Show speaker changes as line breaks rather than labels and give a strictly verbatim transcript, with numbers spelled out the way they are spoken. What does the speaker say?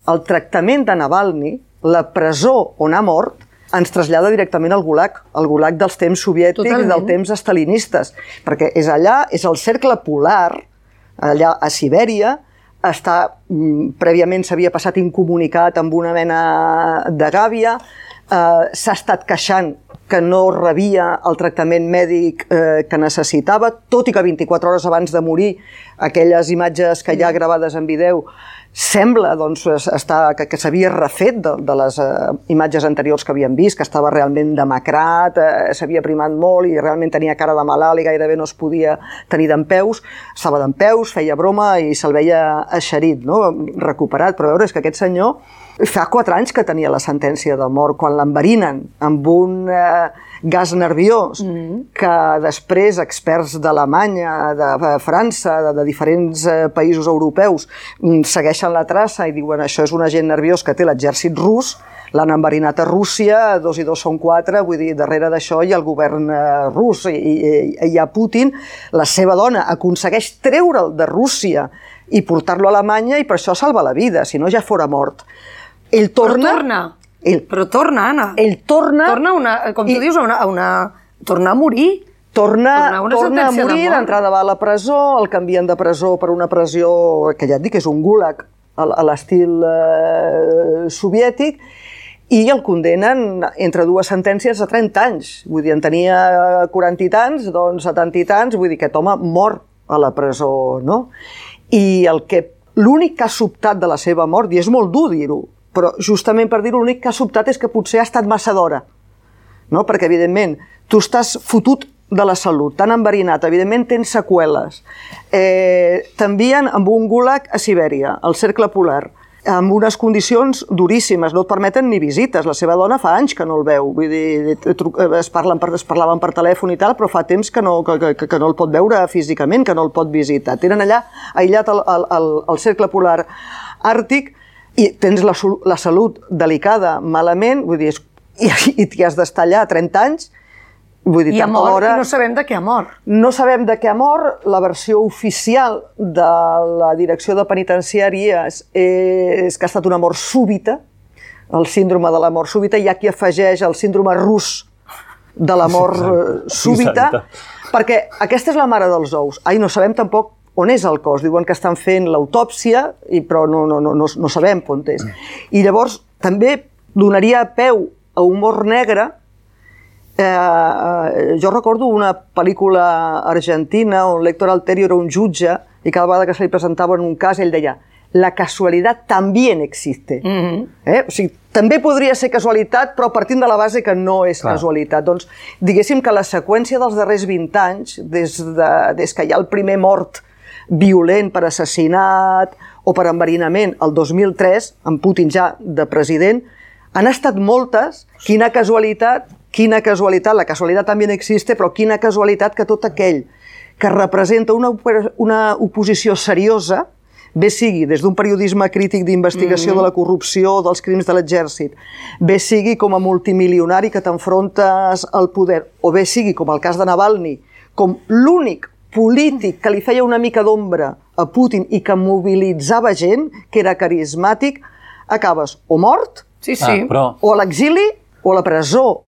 el tractament de Navalny, la presó on ha mort, ens trasllada directament al Gulag, al Gulag dels temps soviètics i dels temps estalinistes, perquè és allà, és el cercle polar, allà a Sibèria, està, prèviament s'havia passat incomunicat amb una mena de gàbia, eh, s'ha estat queixant que no rebia el tractament mèdic eh, que necessitava, tot i que vint-i-quatre hores abans de morir, aquelles imatges que hi ha gravades en vídeo, sembla doncs, estar, que, que s'havia refet de, de les eh, imatges anteriors que havíem vist, que estava realment demacrat, eh, s'havia primat molt i realment tenia cara de malalt i gairebé no es podia tenir dempeus. Estava dempeus, feia broma i se'l veia eixerit, no? Recuperat. Però a veure, és que aquest senyor fa quatre anys que tenia la sentència de mort, quan l'enverinen amb un eh, gas nerviós mm. que després experts d'Alemanya, de França, de, de diferents eh, països europeus segueixen la traça i diuen això és un agent nerviós que té l'exèrcit rus, l'han enverinat a Rússia, dos i dos són quatre, vull dir, darrere d'això hi ha el govern eh, rus, i, i hi ha Putin, la seva dona aconsegueix treure'l de Rússia i portar-lo a Alemanya i per això salva la vida, si no ja fora mort. Ell torna...
Però torna,
ell,
però torna, Anna.
Ell torna...
Torna a una, com tu
i,
dius, a una, a una... Torna a morir.
Torna,
torna,
torna a morir, d'entrada va a la presó, el canvien de presó per una presó que ja et dic, és un gulag a, a l'estil eh, soviètic, i el condenen entre dues sentències a trenta anys. Vull dir, en tenia quaranta i tants, doncs setanta i tants, vull dir, aquest home mor a la presó, no? I el que l'únic que ha sobtat de la seva mort, i és molt dur dir-ho, però justament per dir-ho, l'únic que ha sobtat és que potser ha estat massa d'hora. No? Perquè, evidentment, tu estàs fotut de la salut, tan enverinat, evidentment tens seqüeles. Eh, T'envien amb un gulag a Sibèria, al cercle polar, amb unes condicions duríssimes, no et permeten ni visites. La seva dona fa anys que no el veu, vull dir, es, parlen per, es parlaven per telèfon i tal, però fa temps que no, que, que, que no el pot veure físicament, que no el pot visitar. Tenen allà aïllat al, al, al cercle polar àrtic i tens la, la salut delicada, malament, vull dir, i, i t'hi has d'estar allà trenta anys, vull dir,
I ha mort,
hora,
i no sabem de què ha mort.
No sabem de què ha mort. La versió oficial de la direcció de penitenciàries és que ha estat una mort súbita, el síndrome de la mort súbita. Hi ha qui afegeix el síndrome rus de la mort súbita, perquè aquesta és la mare dels ous. Ai, no sabem tampoc on és el cos. Diuen que estan fent l'autòpsia, però no, no, no, no, no sabem on és. I llavors també donaria peu a humor negre. Eh, jo recordo una pel·lícula argentina on l'Héctor Alterio era un jutge i cada vegada que se li presentava en un cas ell deia la casualitat també existe. Mm-hmm. eh? O sigui, també podria ser casualitat, però partint de la base que no és Clar. Casualitat. Doncs diguéssim que la seqüència dels darrers vint anys, des, de, des que hi ha el primer mort violent per assassinat o per enverinament el dos mil tres, amb Putin ja de president, han estat moltes. Quina casualitat, quina casualitat, la casualitat també existe, però quina casualitat que tot aquell que representa una, una oposició seriosa, bé sigui des d'un periodisme crític d'investigació mm-hmm. de la corrupció, dels crims de l'exèrcit, bé sigui com a multimilionari que t'enfrontes al poder, o bé sigui com el cas de Navalny, com l'únic polític que li feia una mica d'ombra a Putin i que mobilitzava gent, que era carismàtic, acabes o mort,
sí, sí.
Ah, però...
o a l'exili o a la presó.